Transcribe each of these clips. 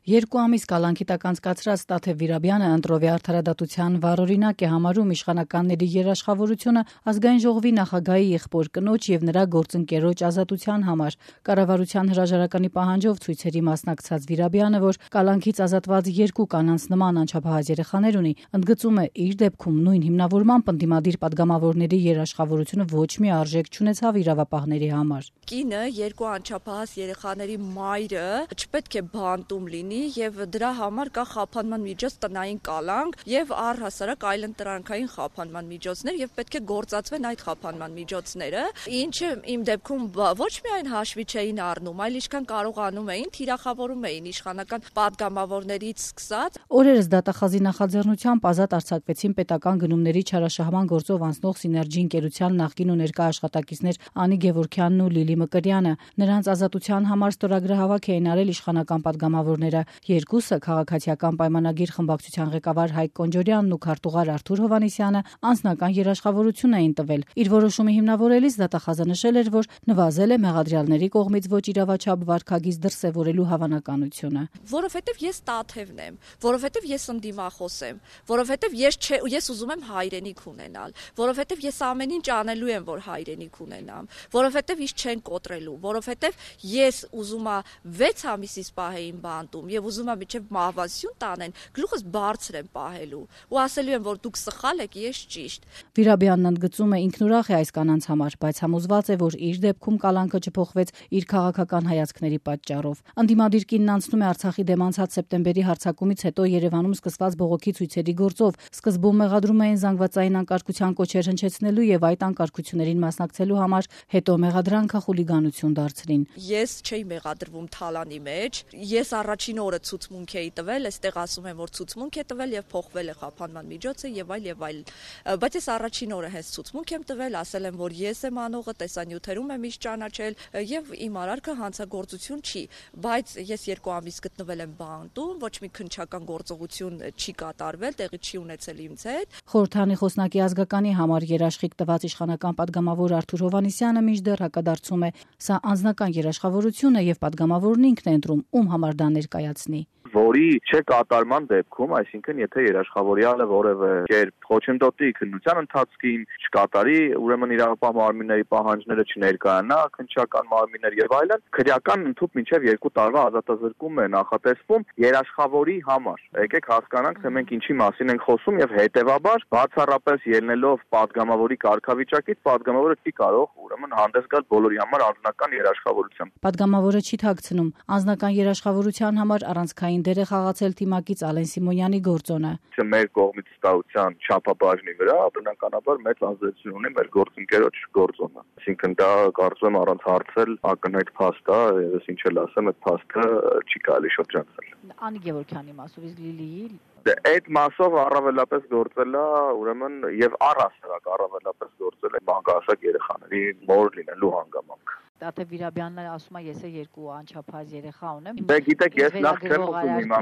2 ամիս կալանքի տակ անցկացրած Տաթև Վիրաբյանը ընտրովի արդարադատության վառօրինակ է համարում իշխանականների երաշխավորությունը ազգային ժողովի նախագահի եղբոր կնոջ եւ նրա գործընկերոջ ազատության համար։ Կառավարության հրաժարականի պահանջով ցույցերի մասնակցած Վիրաբյանը, որ կալանքից ազատված 2 կանանց նման անչափահաս երեխաներ ունի, ընդգծում է իր դեպքում նույն հիմնավորմամբ ընդդիմադիր պատգամավորների երաշխավորությունը ոչ մի արժեք չունեցավ իրավապահների համար։ Կինը 2 անչափահաս երեխաների մայրը չպետք է բանտում լինի եւ դրա համար կա խափանման միջոց տնային կալանք եւ առհասարակ այլընտրանքային խափանման միջոցներ եւ պետք է գործածվեն այդ խափանման միջոցները, ինչը իմ դեպքում ոչ միայն հաշվի չէին առնում, այլ ինչքան կարողանում էին թիրախավորում էին իշխանական պատգամավորներից սկսած։ Օրերս դատախազի նախաձեռնությամբ ազատ արձակվեցին պետական գնումների չարաշահման գործով անցնող Սիներգի ընկերության նախկին ու ներկա աշխատակիցներ Անի Գևորգյանն ու Լիլի Մկրյանը։ Նրանց ազատության համար ստորագրահավաք էին արել իշխանական պատգամավորները։ Երկուսը քաղաքացիական պայմանագիր խմբակցության ղեկավար Հայկ Կոնջորյանն ու քարտուղար Արթուր Հովհաննիսյանը անձնական երաշխավորություն էին տվել։ Իր որոշումը հիմնավորելիս դատախազը նշել էր, որ նվազել է մեղադրյալների կողմից ոչ իրավաչափ վարքագիծ դրսևորելու հավանականությունը։ Որովհետև ես Տաթևն եմ, որովհետև ես ընդդիմախոս եմ, որովհետև ես ուզում եմ հայրենիք ունենալ, որովհետև ես ամեն ինչ անելու եմ, որ հայրենիք ունենամ, որովհետև ինձ չեն կոտրելու, որովհետև ես ուզում եմ 6 ամիսից պահեին բանտում եւ ուզում եմ իջև մահվանություն տանեն, գլուխս բարձր եմ պահելու ու ասելու եմ, որ դուք սխալ եք, ես ճիշտ։ Վիրաբյանն ընդգծում է ինքնուրախ է այս կանանց համար, բայց համոզված է, որ իր դեպքում կալանքը չփոխվեց իր քաղաքական հայացքների պատճառով։ Ընդդիմադիր կինն անցնում է Արցախի դեմ անցած սեպտեմբերի հարձակումից հետո Երևանում սկսված բողոքի ցույցերի գործով։ Սկզբում մեղադրում էին զանգվածային անկարգության կոչեր հնչեցնելու եւ այդ անկարգություններին մասնակցելու համար, հետո մեղադրանքը խուլիգանություն դարձրին։ Ես չէի մեղադրվում թալանի մեջ, ես առաջին օրը ցուցմունք էի տվել, այստեղ ասում եմ, որ ցուցմունք է տվել եւ փոխվել է խափանման միջոցը եւ այլ, բայց ես առաջին օրը հենց ցուցմունք եմ տվել, ասել եմ, որ ես եմ անողը, տեսանյութերում եմ իշ ճանաչել եւ իմ արարքը հանցագործություն չի, բայց ես 2 ամիս գտնվել եմ բանտում, ոչ մի քննչական գործողություն չի կատարվել, տեղի չի ունեցել ինձ հետ։ Խորհրդանի խոսնակի ազգականի համար երաշխիք տված իշխանական պատգամավոր Արթուր Հովհաննիսյանը մինչդեռ հակադարձում է. սա անձնական երաշխավորություն է եւ պատգամավորն ինքն է ընտրում, ում համար դա ներկայացնի։ Որի չկատարման դեպքում, այսինքն եթե երաշխավորյալը որևէ կերպ խոչընդոտի քննության ընթացքին, չկատարի, ուրեմն իրավապահ մարմինների պահանջները չներկայանա, քննչական մարմիններ եւ այլն, քրեական ընդհանուր մինչեւ 2 տարվա ազատազրկում է նախատեսվում երաշխավորի համար։ Եկեք հասկանանք, թե մենք ինչի մասին ենք խոսում եւ հետեւաբար բացառապես ելնելով պատգամավորի կարգավիճակից, պատգամավորը չի կարող ուրեմն հանդես գալ բոլորի համար անձնական երաշխավորությամբ։ Պատգամավորը չի թաքցնում անձնական երաշխավորության համար առանցքային դեր է խաղացել թիմակից Ալեն Սիմոնյանի գործոնը։ Մեր կողմից ստացության չափաբաժնի վրա բնականաբար մեծ ազդեցություն ունի մեր գործընկերոջ գործոնը։ Այսինքն դա կարծում եմ առանց հարցել ակնհայտ փաստ է, ես ինչ էլ ասեմ, այդ փաստը չի կարելի շրջանցել։ Անի Գևորգյանի մասով իսկ Լիլիի այդ մասով առավելապես գործել է ուրեմն եւ առհասարակ առավելապես գործել է մանկահասակ երեխաների մոր լինելու հանգամանք։ Տաթև Վիրաբյանն ասում է, ես 2 անչափահաս երեխա ունեմ։ Դե գիտեք, ես նախ չեմ ուզում հիմա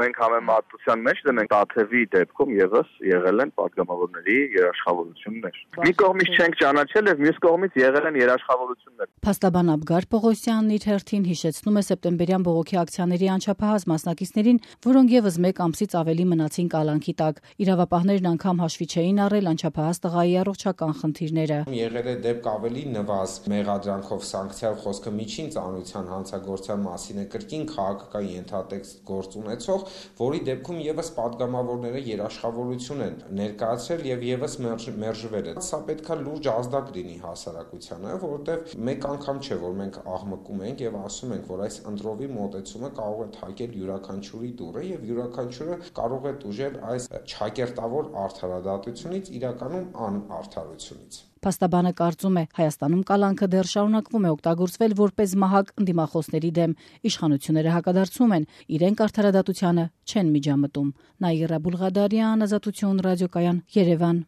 մենք համեմատության մեջ դնենք Տաթևի դեպքում եւս եղել են պատգամավորների երաշխավորություններ։ Մի կողմից չենք ճանաչել եւ մյուս կողմից եղել են երաշխավորություններ։ Փաստաբան Աբգար Պողոսյանն իր հերթին հիշեցնում է սեպտեմբերյան բողոքի ակցիաների անչափահաս մասնակիցներին, որոնք եւս 1 ամսից ավելի մնացին կալանքի տակ։ Իրավապահներն անգամ հաշվի չէին առել անչափահաս տղայի առողջական խնդիրները։ Եղել է դեպք ավելի նվազ մեղադրանքով սանկցիալ խոսքը միջին ծանրության հանցագործության մասին է, կրկին քաղաքական ենթատեքստ գործ ունեցող, որի դեպքում եւս պատգամավորները երաշխավորություն են ներկայացրել եւ եւս մերժվել է։ Սա պետքա լուրջ ազդակ լինի հասարակությանը, որովհետեւ մեկ անգամ չէ, որ մենք աղմկում ենք եւ ասում ենք, որ այս ընտրովի մոտեցումը կարող է թակել յուրաքանչյուրի դուռը եւ յուրաքանչյուրը կարող է տուժել այս չակերտավոր արդարադատությունից, իրականում անարդարությունից։ Փաստաբանը կարծում է, Հայաստանում կալանքը դեռ շարունակվում է օգտագործվել որպես մահակ ընդդիմախոսների դեմ։ Իշխանությունները հակադարձում են, իրենք արդարադատությանը չեն միջամտում։ Նաիրա Բուլղադարյան, Ազատություն ռադիոկայան, Երևան։